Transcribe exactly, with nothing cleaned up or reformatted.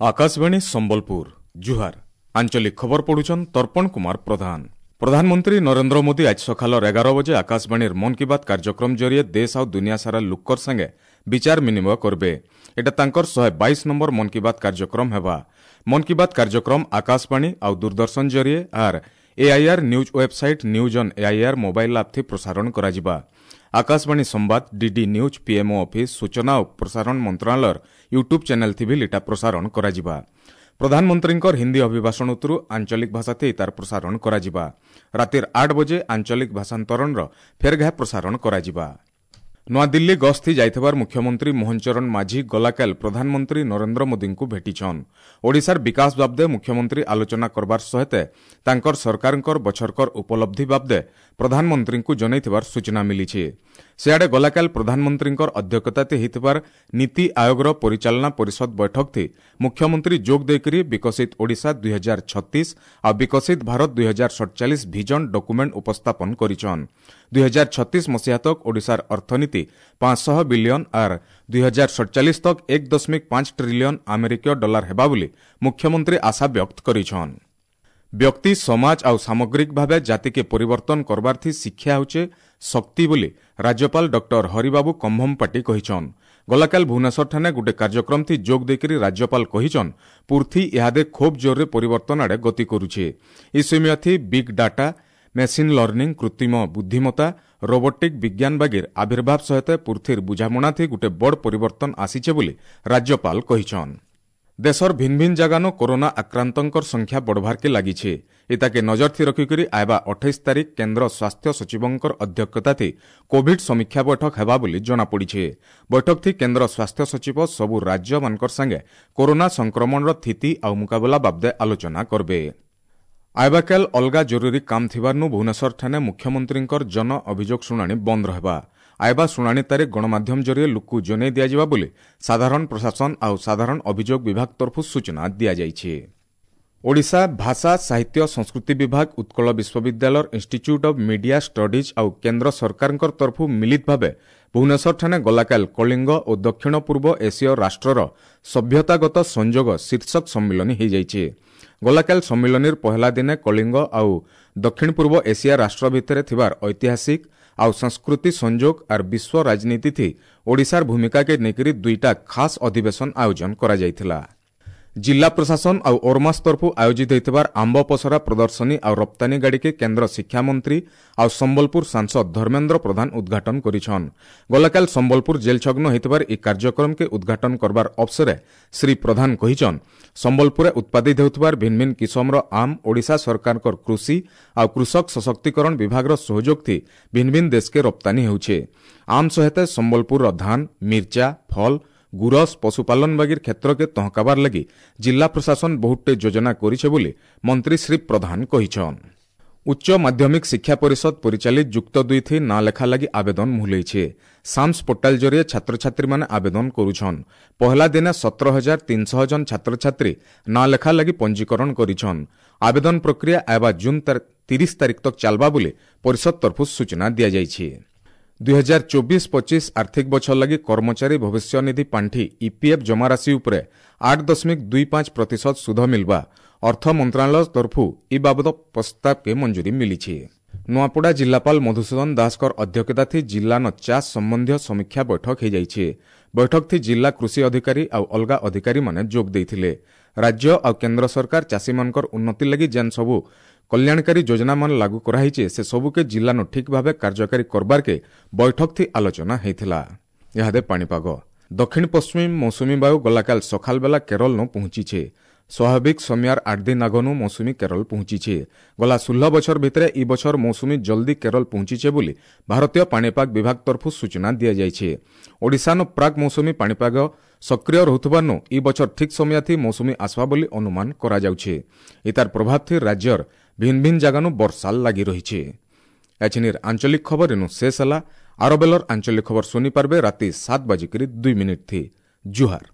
ଆକାଶବାଣୀ ସମ୍ବଲପୁର ଜୁହାର ଆଞ୍ଚଳିକ ଖବର ପଢୁଛନ୍ ତର୍ପଣ କୁମାର ପ୍ରଧାନ ପ୍ରଧାନମନ୍ତ୍ରୀ ନରେନ୍ଦ୍ର ମୋଦି ଆଜ ସକାଳର ଏଗାର ବଜେ ଆକାଶବାଣୀର ମନ୍ କି ବାତ୍ କାର୍ଯ୍ୟକ୍ରମ ଜରିଏ ଦେଶ ଆଉ ଦୁନିଆ ସାରା ଲୁକର ସାଙ୍ଗେ ବିଚାର ବିନିମୟ କରବେ ଏଟା ତାଙ୍କର ଶହେ ବାଇଶ ନମ୍ବର ମନ୍ କି ବାତ୍ କାର୍ଯ୍ୟକ୍ରମ ହେବା ମନ୍ କି ବାତ୍ କାର୍ଯ୍ୟକ୍ରମ ଆକାଶବାଣୀ ଆଉ ଦୂରଦର୍ଶନ ଜରିଏ ଆର୍ AIR news website news on AIR mobile app ଥି ପ୍ରସାରଣ କରାଯିବା ଆକାଶବାଣୀ ସମ୍ବାଦ ଡିଡି ନ୍ୟୁଜ୍ ପିଏମ୍ଓ ଅଫିସ୍ ସୂଚନା ଓ ପ୍ରସାରଣ ମନ୍ତ୍ରଣାଳୟର ୟୁଟ୍ୟୁବ୍ ଚ୍ୟାନେଲ୍ ଥି ବି ଇଟା ପ୍ରସାରଣ କରାଯିବା ପ୍ରଧାନମନ୍ତ୍ରୀଙ୍କର ହିନ୍ଦୀ ଅଭିଭାଷଣ ଉତ୍ତରୁ ଆଞ୍ଚଳିକ ଭାଷାଥି ତାର ପ୍ରସାରଣ କରାଯିବା ରାତିର ଆଠ ବଜେ ଆଞ୍ଚଳିକ ଭାଷାନ୍ତରଣର ଫେର୍ ଘାଏ ପ୍ରସାରଣ କରାଯିବା ନୂଆଦିଲ୍ଲୀ ଗସ୍ତି ଯାଇଥିବାର ମୁଖ୍ୟମନ୍ତ୍ରୀ ମୋହନ ଚରଣ ମାଝୀ ଗଲାକାଲ ପ୍ରଧାନମନ୍ତ୍ରୀ ନରେନ୍ଦ୍ର ମୋଦିଙ୍କୁ ଭେଟିଛନ୍ ଓଡ଼ିଶାର ବିକାଶ ବାବଦେ ମୁଖ୍ୟମନ୍ତ୍ରୀ ଆଲୋଚନା କରବାର ସହିତ ତାଙ୍କର ସରକାରଙ୍କର ବଛରକର ଉପଲବ୍ଧି ବାବଦେ ପ୍ରଧାନମନ୍ତ୍ରୀଙ୍କୁ ଜଣାଇଥିବାର ସୂଚନା ମିଳିଛି ସିଆଡ଼େ ଗଲାକାଲ ପ୍ରଧାନମନ୍ତ୍ରୀଙ୍କର ଅଧ୍ୟକ୍ଷତାରେ ହେଇଥିବାର ନୀତି ଆୟୋଗର ପରିଚାଳନା ପରିଷଦ ବୈଠକଥି ମୁଖ୍ୟମନ୍ତ୍ରୀ ଯୋଗ ଦେଇକରି ବିକଶିତ ଓଡ଼ିଶା ଦୁଇ ହଜାର ଛତିଶ ଆଉ ବିକଶିତ ଭାରତ ଦୁଇ ହଜାର ସତଚାଳିଶ ଭିଜନ ଡକୁମେଣ୍ଟ ଉପସ୍ଥାପନ କରିଛନ୍ ଦୁଇ ହଜାର ଛତିଶ ମସିହା ତକ ଓଡ଼ିଶାର ଅର୍ଥନୀତି ପାଞ୍ଚଶହ ବିଲିୟନ ଆର୍ ଦୁଇ ହଜାର ସତଚାଳିଶ ତକ ଏକ ଦଶମିକ ପାଞ୍ଚ ଟ୍ରିଲିୟନ ଆମେରିକୀୟ ଡଲାର ହେବା ବୋଲି ମୁଖ୍ୟମନ୍ତ୍ରୀ ଆଶା ବ୍ୟକ୍ତ କରିଛନ୍ ବ୍ୟକ୍ତି ସମାଜ ଆଉ ସାମଗ୍ରିକ ଭାବେ ଜାତିକେ ପରିବର୍ତ୍ତନ କରବାର୍ଥି ଶିକ୍ଷା ହେଉଛେ ଶକ୍ତି ବୋଲି ରାଜ୍ୟପାଳ ଡକ୍ଟର ହରିବାବୁ କମ୍ଭମପାଟି କହିଛନ୍ ଗଲାକାଲ ଭୁବନେଶ୍ୱରଠାନେ ଗୋଟେ କାର୍ଯ୍ୟକ୍ରମଥି ଯୋଗ ଦେଇକରି ରାଜ୍ୟପାଳ କହିଛନ୍ ପୃଥ୍ୱୀ ଇହାଦେ ଖୁବ୍ ଜୋରରେ ପରିବର୍ତ୍ତନ ଆଡ଼େ ଗତି କରୁଛେ ଇ ସମୟଥି ବିଗ୍ ଡାଟା ମେସିନ୍ ଲର୍ଣ୍ଣିଂ କୃତ୍ରିମ ବୁଦ୍ଧିମତ୍ତା ରୋବୋଟିକ୍ ବିଜ୍ଞାନ ବାଗିର ଆବିର୍ଭାବ ସହିତ ପୃଥ୍ୱୀର ବୁଝାମଣାଥି ଗୋଟେ ବଡ଼ ପରିବର୍ତ୍ତନ ଆସିଛେ ବୋଲି ରାଜ୍ୟପାଳ କହିଛନ୍ ଦେଶର ଭିନ୍ ଭିନ୍ ଜାଗାନୁ କରୋନା ଆକ୍ରାନ୍ତଙ୍କର ସଂଖ୍ୟା ବଢ଼ବାର୍କେ ଲାଗିছে ଏତାକେ ନଜର ରଖିକରି ଆଇବା ଅଠେଇଶ ତାରିଖ କେନ୍ଦ୍ର ସ୍ୱାସ୍ଥ୍ୟ ସଚିବଙ୍କର ଅଧ୍ୟକ୍ଷତାଥି କୋଭିଡ୍ ସମୀକ୍ଷା ବୈଠକ ହେବା ବୋଲି ଜଣାପଡ଼ିছে ବୈଠକଥି କେନ୍ଦ୍ର ସ୍ୱାସ୍ଥ୍ୟ ସଚିବ ସବୁ ରାଜ୍ୟମାନଙ୍କର ସାଙ୍ଗେ କରୋନା ସଂକ୍ରମଣର ସ୍ଥିତି ଆଉ ମୁକାବିଲା ବାବଦେ ଆଲୋଚନା କରବେ ଆଇବାକାଲ ଅଲଗା ଜରୁରୀ କାମ ଥିବାରୁ ଭୁବନେଶ୍ୱରଠାନେ ମୁଖ୍ୟମନ୍ତ୍ରୀଙ୍କର ଜନ ଅଭିଯୋଗ ଶୁଣାଣି ବନ୍ଦ ରହିବା ଆଇବା ଶୁଣାଣି ତାରିଖ ଗଣମାଧ୍ୟମ ଜରିଏ ଲୋକକୁ ଜଣାଇ ଦିଆଯିବା ବୋଲି ସାଧାରଣ ପ୍ରଶାସନ ଆଉ ସାଧାରଣ ଅଭିଯୋଗ ବିଭାଗ ତରଫରୁ ସୂଚନା ଦିଆଯାଇଛି ଓଡ଼ିଶା ଭାଷା ସାହିତ୍ୟ ସଂସ୍କୃତି ବିଭାଗ ଉତ୍କଳ ବିଶ୍ୱବିଦ୍ୟାଳୟର ଇନ୍ଷ୍ଟିଚ୍ୟୁଟ୍ ଅଫ୍ ମିଡିଆ ଷ୍ଟଡିଜ୍ ଆଉ କେନ୍ଦ୍ର ସରକାରଙ୍କ ତରଫରୁ ମିଳିତ ଭାବେ ଭୁବନେଶ୍ୱରଠାନେ ଗଲାକାଲ କଳିଙ୍ଗ ଓ ଦକ୍ଷିଣ ପୂର୍ବ ଏସୀୟ ରାଷ୍ଟ୍ରର ସଭ୍ୟତାଗତ ସଂଯୋଗ ଶୀର୍ଷକ ସମ୍ମିଳନୀ ହୋଇଯାଇଛି ଗଲାକାଲ ସମ୍ମିଳନୀର ପହଲା ଦିନେ କଳିଙ୍ଗ ଆଉ ଦକ୍ଷିଣ ପୂର୍ବ ଏସିଆ ରାଷ୍ଟ୍ର ଭିତରେ ଥିବାର ଐତିହାସିକ ଆଉ ସଂସ୍କୃତି ସଂଯୋଗ ଆର୍ ବିଶ୍ୱ ରାଜନୀତିଥି ଓଡ଼ିଶାର ଭୂମିକାକେ ନେଇକରି ଦୁଇଟା ଖାସ୍ ଅଧିବେଶନ ଆୟୋଜନ କରାଯାଇଥିଲା ଜିଲ୍ଲା ପ୍ରଶାସନ ଆଉ ଓରମାସ ତରଫରୁ ଆୟୋଜିତ ହୋଇଥିବାର ଆମ୍ବ ପସରା ପ୍ରଦର୍ଶନୀ ଆଉ ରପ୍ତାନୀ ଗାଡ଼ିକେ କେନ୍ଦ୍ର ଶିକ୍ଷାମନ୍ତ୍ରୀ ଆଉ ସମ୍ବଲପୁର ସାଂସଦ ଧର୍ମେନ୍ଦ୍ର ପ୍ରଧାନ ଉଦ୍ଘାଟନ କରିଛନ୍ ଗଲାକାଲ ସମ୍ବଲପୁର ଜେଲ୍ ଛଗ୍ନ ହୋଇଥିବାର ଏହି କାର୍ଯ୍ୟକ୍ରମକେ ଉଦ୍ଘାଟନ କରବାର ଅବସରେ ଶ୍ରୀ ପ୍ରଧାନ କହିଛନ୍ ସମ୍ବଲପୁରରେ ଉତ୍ପାଦିତ ହେଉଥିବାର ଭିନ୍ ଭିନ୍ କିସମର ଆମ୍ ଓଡ଼ିଶା ସରକାରଙ୍କର କୃଷି ଆଉ କୃଷକ ସଶକ୍ତିକରଣ ବିଭାଗର ସହଯୋଗଥି ଭିନ୍ ଭିନ୍ ଦେଶକେ ରପ୍ତାନୀ ହେଉଛେ ଆମ୍ ସହିତ ସମ୍ବଲପୁରର ଧାନ ମିର୍ଚା ଫଲ ଗୁରସ ପଶୁପାଲନ ବାଗିର କ୍ଷେତ୍ରକେ ତହକାବାର ଲାଗି ଜିଲ୍ଲା ପ୍ରଶାସନ ବହୁତଟେ ଯୋଜନା କରିছে ବୋଲି ମନ୍ତ୍ରୀ ଶ୍ରୀ ପ୍ରଧାନ କହିଛନ୍ ଉଚ୍ଚ ମାଧ୍ୟମିକ ଶିକ୍ଷା ପରିଷଦ ପରିଚାଳିତ ଯୁକ୍ତ ଦୁଇଥି ନାଁ ଲେଖା ଲାଗି ଆବେଦନ ମୁହଲେଇছে ସାମ୍ସ ପୋର୍ଟାଲ ଜରିଏ ଛାତ୍ରଛାତ୍ରୀମାନେ ଆବେଦନ କରୁଛନ୍ ପହଲା ଦିନେ ସତର ହଜାର ତିନିଶହ ଜଣ ଛାତ୍ରଛାତ୍ରୀ ନାଁ ଲେଖା ଲାଗି ପଞ୍ଜୀକରଣ କରିଛନ୍ ଆବେଦନ ପ୍ରକ୍ରିୟା ଆଇବା ଜୁନ୍ ତିରିଶ ତାରିଖ ତକ ଚାଲବା ବୋଲି ପରିଷଦ ତରଫରୁ ସୂଚନା ଦିଆଯାଇଛି ଦୁଇ ହଜାର ଚବିଶ ପଚିଶ ଆର୍ଥିକ ବଛର ଲାଗି କର୍ମଚାରୀ ଭବିଷ୍ୟନିଧି ପାଣ୍ଠି ଇପିଏଫ୍ ଜମାରାଶି ଉପରେ ଆଠ ଦଶମିକ ଦୁଇ ପାଞ୍ଚ ପ୍ରତିଶତ ସୁଧ ମିଲବା ଅର୍ଥ ମନ୍ତ୍ରଣାଳୟ ତରଫରୁ ଇ ବାବଦ ପ୍ରସ୍ତାବକେ ମଞ୍ଜୁରୀ ମିଳିଛି ନୂଆପଡ଼ା ଜିଲ୍ଲାପାଳ ମଧୁସୂଦନ ଦାସଙ୍କର ଅଧ୍ୟକ୍ଷତାଥି ଜିଲ୍ଲାନ ଚାଷ ସମ୍ବନ୍ଧୀୟ ସମୀକ୍ଷା ବୈଠକ ହୋଇଯାଇଛି ବୈଠକଥି ଜିଲ୍ଲା କୃଷି ଅଧିକାରୀ ଆଉ ଅଲଗା ଅଧିକାରୀମାନେ ଯୋଗ ଦେଇଥିଲେ ରାଜ୍ୟ ଆଉ କେନ୍ଦ୍ର ସରକାର ଚାଷୀମାନଙ୍କର ଉନ୍ନତି ଲାଗି ଯେନ୍ ସବୁ କଲ୍ୟାଣକାରୀ ଯୋଜନାମାନ ଲାଗୁ କରାହେଇছে ସେ ସବୁକେ ଜିଲ୍ଲାନୁ ଠିକ୍ ଭାବେ କାର୍ଯ୍ୟକାରୀ କରବାର୍କେ ବୈଠକଥି ଆଲୋଚନା ହେଇଥିଲା ଇହାଦେ ପାଣିପାଗ ଦକ୍ଷିଣ ପଶ୍ଚିମ ମୌସୁମୀ ବାୟୁ ଗଲାକାଲ ସକାଳବେଲା କେରଳନୁ ପହଞ୍ଚିছে ସ୍ୱାଭାବିକ ସମୟାର ଆଠ ଦିନ ଆଗନୁ ମୌସୁମୀ କେରଳ ପହଞ୍ଚିছে ଗଲା ଷୋହଳ ବଛର ଭିତରେ ଇ ବଛର ମୌସୁମୀ ଜଲ୍ଦି କେରଳ ପହଞ୍ଚିছে ବୋଲି ଭାରତୀୟ ପାଣିପାଗ ବିଭାଗ ତରଫରୁ ସୂଚନା ଦିଆଯାଇଛି ଓଡ଼ିଶାନୁ ପ୍ରାକ୍ ମୌସୁମୀ ପାଣିପାଗ ସକ୍ରିୟ ରହୁଥିବାରୁ ଇ ବଛର ଠିକ୍ ସମୟାଥି ମୌସୁମୀ ଆସବା ବୋଲି ଅନୁମାନ କରାଯାଉଛି ଇତାର ପ୍ରଭାବଥି ରାଜ୍ୟର ଭିନ୍ ଭିନ୍ ଜାଗାନୁ ବର୍ଷା ଲାଗି ରହିଛି ଏଛିନିର ଆଞ୍ଚଳିକ ଖବର ଏନୁ ଶେଷ ହେଲା ଆରବେଲର ଆଞ୍ଚଳିକ ଖବର ଶୁଣିପାରବେ ରାତି ସାତ ବାଜିକରି ଦୁଇ ମିନିଟ୍ ଥି ଜୁହାର।